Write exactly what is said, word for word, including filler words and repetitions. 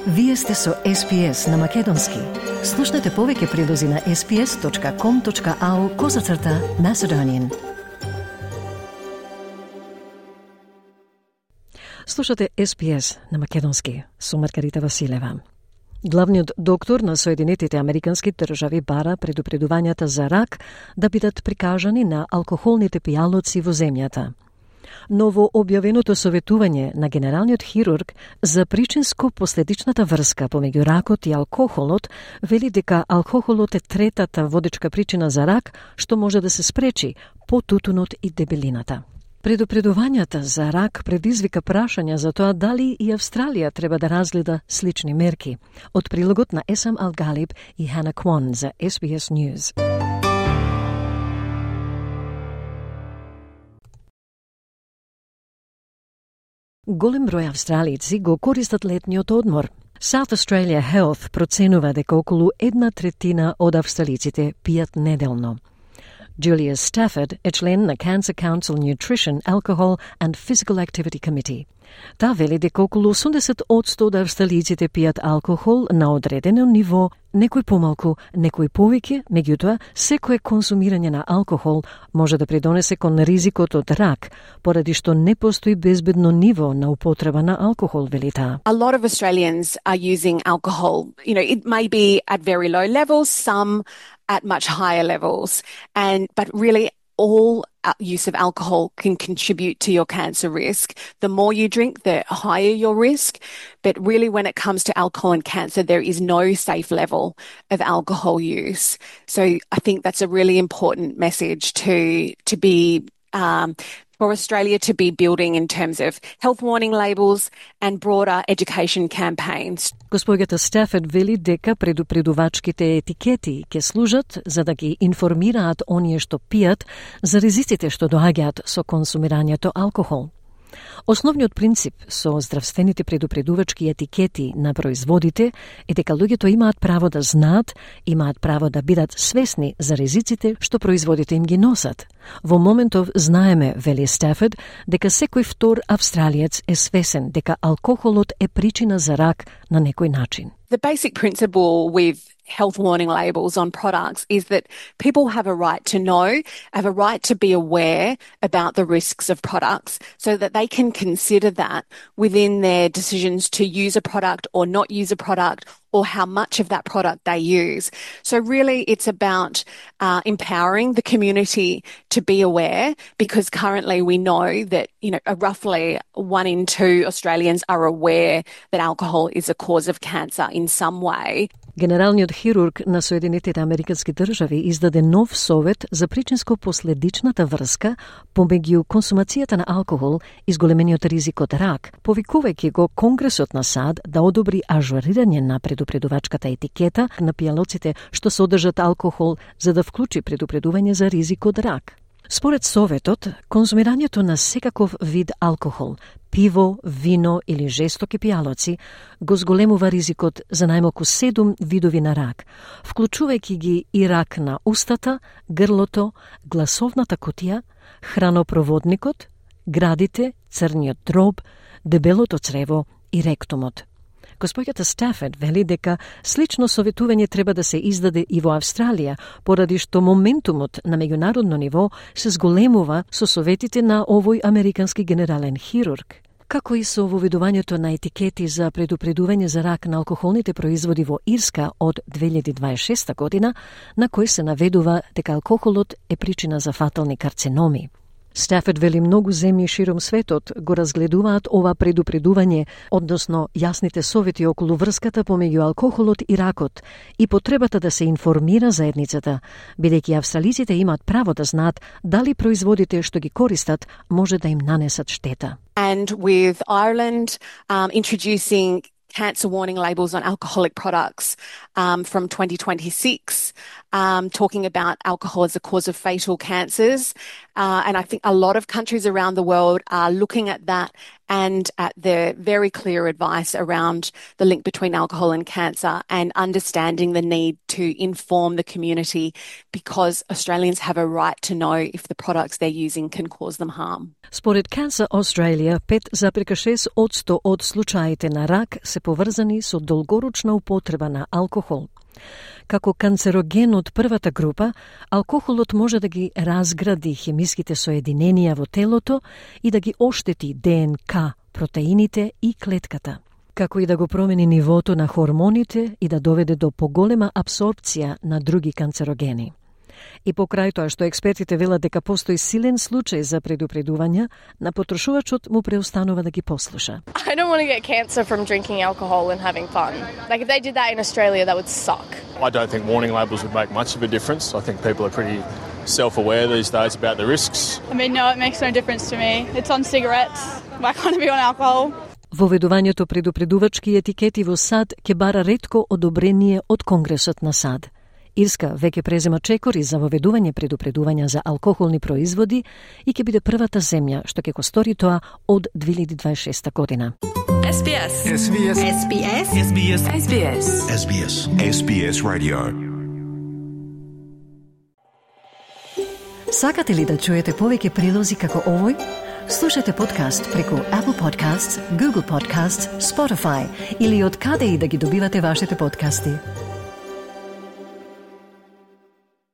Вие сте со Ес Би Ес на Македонски. Слушнете повеќе прилози на ес би ес точка ком точка ау козацрта Macedonian. Слушате Ес Би Ес на Македонски со Маргарита Василева. Главниот доктор на Соединетите Американски држави бара предупредувањата за рак да бидат прикажани на алкохолните пијалоци во земјата. Ново објавеното советување на генералниот хирург за причинско-последичната врска помеѓу ракот и алкохолот вели дека алкохолот е третата водечка причина за рак, што може да се спречи по тутунот и дебелината. Предупредувањата за рак предизвика прашања за тоа дали и Австралија треба да разгледа слични мерки. Од прилогот на Есам Алгалиб и Хана Квон за Ес Би Ес News. Голем број австралици го користат летниот одмор. South Australia Health проценува дека околу една третина од австралиците пијат неделно. Julia Stafford е член на Cancer Council Nutrition, Alcohol and Physical Activity Committee. Та вели дека околу осумдесет одсто од австралиците пијат алкохол на одредено ниво, некој помалку, некој повеќе, меѓутоа, секое консумирање на алкохол може да придонесе кон ризикот од рак, поради што не постои безбедно ниво на употреба на алкохол, вели таа. A lot of Australians are using alcohol. You know, it may be at very low levels, some at much higher levels, and but really all use of alcohol can contribute to your cancer risk. The more you drink, the higher your risk. But really, when it comes to alcohol and cancer, there is no safe level of alcohol use. So I think that's a really important message to to be um, for Australia to be building in terms of health warning labels and broader education campaigns. Госпоѓата Стафорд вели дека предупредувачките етикети ќе служат за да ги информираат оние што пијат за ризиците што доаѓаат со консумирањето алкохол. Основниот принцип со здравствените предупредувачки етикети на производите е дека луѓето имаат право да знаат, имаат право да бидат свесни за ризиците што производите им ги носат. Во моментов знаеме, вели Стафорд, дека секој втор австралиец е свесен дека алкохолот е причина за рак на некој начин. The basic principle with health warning labels on products is that people have a right to know, have a right to be aware about the risks of products so that they can consider that within their decisions to use a product or not use a product or how much of that product they use. So really it's about uh, empowering the community to be aware, because currently we know that, you know, roughly one in two Australians are aware that alcohol is a cause of cancer in some way. Генералниот хирург на Соединетите Американски држави издаде нов совет за причинско-последичната врска помеѓу консумацијата на алкохол и зголемениот ризик од рак, повикувајќи го Конгресот на САД да одобри ажурирање на предупредувачката етикета на пијалоците што содржат алкохол за да вклучи предупредување за ризик од рак. Според советот, консумирањето на секаков вид алкохол, пиво, вино или жестоки пијалоци, го зголемува ризикот за најмалку седум видови на рак, вклучувајќи ги и рак на устата, грлото, гласовната кутија, хранопроводникот, градите, црниот дроб, дебелото црево и ректумот. Госпоѓата Стафорд вели дека слично советување треба да се издаде и во Австралија, поради што моментумот на меѓународно ниво се зголемува со советите на овој американски генерален хирург. Како и со воведувањето на етикети за предупредување за рак на алкохолните производи во Ирска од две илјади дваесет и шеста година, на кој се наведува дека алкохолот е причина за фатални карциноми. Стафорд вели многу земји широм светот го разгледуваат ова предупредување, односно јасните совети околу врската помеѓу алкохолот и ракот и потребата да се информира заедницата, бидејќи австралиците имаат право да знаат дали производите што ги користат може да им нанесат штета. And with Ireland um, introducing cancer warning labels on alcoholic products um, from twenty twenty-six, um, talking about alcohol as a cause of fatal cancers. Uh, and I think a lot of countries around the world are looking at that and at the very clear advice around the link between alcohol and cancer and understanding the need to inform the community because Australians have a right to know if the products they're using can cause them harm. Според Cancer Australia, пет запирка шест одсто од случаите на рак се поврзани со долгорочна употреба на алкохол. Како канцероген од првата група, алкохолот може да ги разгради хемиските соединенија во телото и да ги оштети ДНК, протеините и клетката, како и да го промени нивото на хормоните и да доведе до поголема абсорбција на други канцерогени. И покрај тоа што експертите велат дека постои силен случај за предупредување, на потрошувачот му преостанува да ги послуша. I don't want to get cancer from drinking alcohol and having fun. Like if they did that in Australia, that would suck. I don't think warning labels would make much of a difference. I think people are pretty self-aware these days about the risks. I mean, no, it makes no difference to me. It's on cigarettes. Why can't it be on alcohol? Воведувањето предупредувачки етикети во САД ќе бара ретко одобрение од Конгресот на САД. Ирска веќе презема чекори за воведување предупредувања за алкохолни производи и ќе биде првата земја што ќе го стори тоа од две илјади дваесет и шеста година. S B S. S B S. S B S. S B S. S B S. S B S. S B S Radio. Сакате ли да чуете повеќе прилози како овој? Слушате подкаст преку Apple Podcasts, Google Podcasts, Spotify или од каде и да ги добивате вашите подкасти.